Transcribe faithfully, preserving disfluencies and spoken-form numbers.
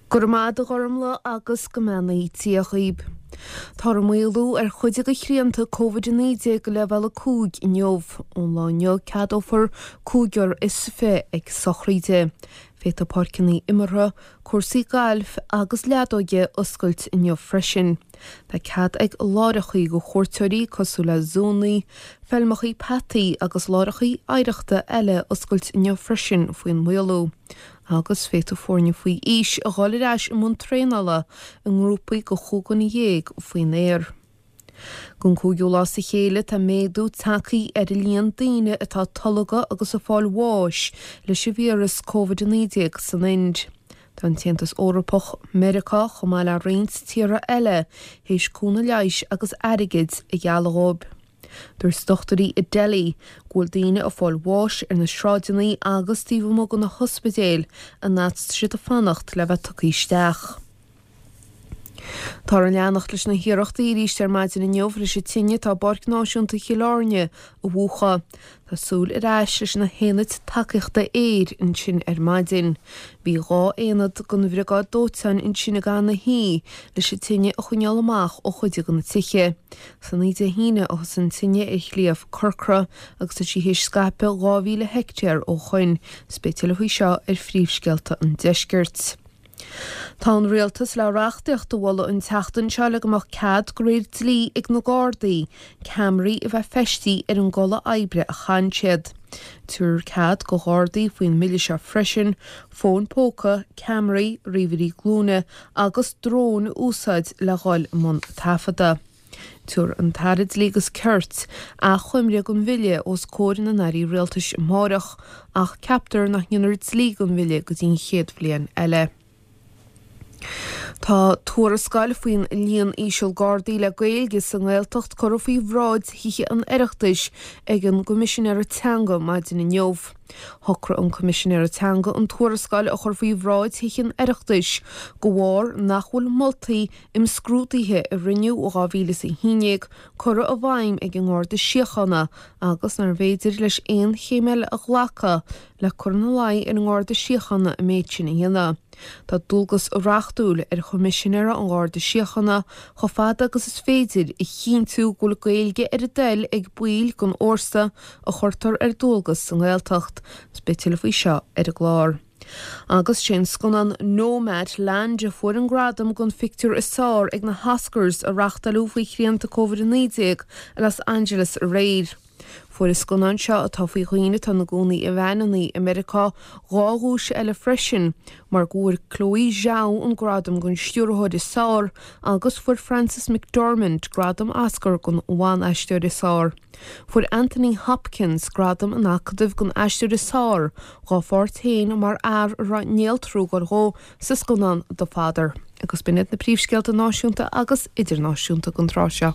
Go raibh maith agat a Ghormlaith agus go mbeannaí Dia dhaoib. Tá maolú ar chuid de shrianta Covid a naoi déag go leibhéal a cúig inniu. Ón lá inniu ceadófar cúigear is fiche ag sochraide. Féadfaidh páirceanna imeartha, cúrsaí gailf agus leadóige oscailt inniu freisin. Tá cead ag láithreacha do chuairteoirí cosúil le zúnna, feilmeacha peataí agus láithreacha oidhreachta eile oscailt inniu freisin faoin maolú. Agus féadfaidh foirne faoi aois a dhul ar ais i mbun traenála i ngrúpaí de chúig dhuine dhéag faoin aer. Don cúigiú lá as a chéile tá méadú tagtha ar an líon daoine atá tolgtha agus ag fáil bháis leis an víreas Covid a naoi déag san Ind. Tá an tAontas Eorpach, Meiriceá chomh maith le roinnt tíortha eile théis cúnamh leighis agus airgid a ghealladh dóibh. Dúirt dochtúirí i Delhi go bhfuil daoine ag fáil bháis ar na sráideanna agus taobh amuigh de na hospidéil an fhad is atá siad ag fanacht le bheith tugtha isteach. Táthar ag leanacht leis na hiarrachtaí arís ar maidin inniu leis an tine atá i bPáirc Náisiúnta Chill Airne a mhúchadh. Tá súil ar ais leis na haonaid tacaíochta aeir ansin ar maidin. Bhí dhá aonad den bhriogáid dóiteáin ansin ag am na hoíche leis an tine a choinneáil amach ó chuid de na tithe. San oíche Dé hAoine a thosaigh an tine ar Shliabh Corcra agus tá sí théis scaipeadh dhá mhíle heicteár ó shoin. Is beidh tuilleadh faoi seo ar phríomhscéalta an deiscirt. Tá an rialtas le reachtaíocht a mholadh an tseachtain seo le go mbeadh cead de réir dlí ag na Gardaí ceamaraí a bheith feistithe ar an gculaith oibre a chaitheann siad. Tabharfar cead do Ghardaí faoin mbille seo freisin fóin póca, ceamaraí, ríomhairí glúine agus dróin a úsáid le dhul i mbun taifeadta. Tabharfaidh an tAire Dlí agus Cirt achoimre den bhille os comhair na n-airí rialtais amárach ach ceaptar nach ndéanfar dlí den bhille go dtí an chéad bhliain eile. Tá tuarascáil faoin líon íseal Gardaí le Gaeilge sa nGaeltacht curtha faoi bhráid Thithe an Oireachtais ag an gCoimisinéir Teanga maidin inniu. Shocraigh an Coimisinéir Teanga an tuarascáil a chur faoi bhráid Thithe an Oireachtais de bharr nach bhfuil moltaí imscrúdaithe a rinneadh ó dhá mhíle is a haon déag curtha i bhfeidhm ag an nGarda Síochána agus nárbh fhéidir leis aon chéim eile a ghlacadh le cur ina luí ar an nGarda Síochána an méid sin a dhéanamh. Tá dualgas reachtúil ar Choimisinéir an Gharda Síochána chomh fada agus is féidir a chinntiú go bhfuil Gaeilge ar a dtoil ag baill den fhórsa a chuirtear ar dualgas sa nGaeltacht. Is beidh tuilleadh faoi seo ar an gclár. Agus sé an scannán Nomadland a fuair an gradam don phictiúr is fearr ag na hOscars a reáchtáladh faoi shrianta Covid a naoi déag i Los Angeles aréir. Fuair an scannán seo atá faoi dhaoine atá ina gcónaí i veaineanna i Meiriceá dhá dhuais eile freisin, mar go bhfuair Chloé Zhao an gradam don stiúrthóir is fearr agus fuair Frances McDormand gradam Oscar don bhan-aisteoir is fearr. Fuair Anthony Hopkins gradam an Acadaimh don aisteoir is fearr dá pháirt féin mar fhear a raibh néaltrú ag dul dhó sa scannán The Father. Agus b'in iad na príomhscéalta náisiúnta agus idirnáisiúnta don tráth seo.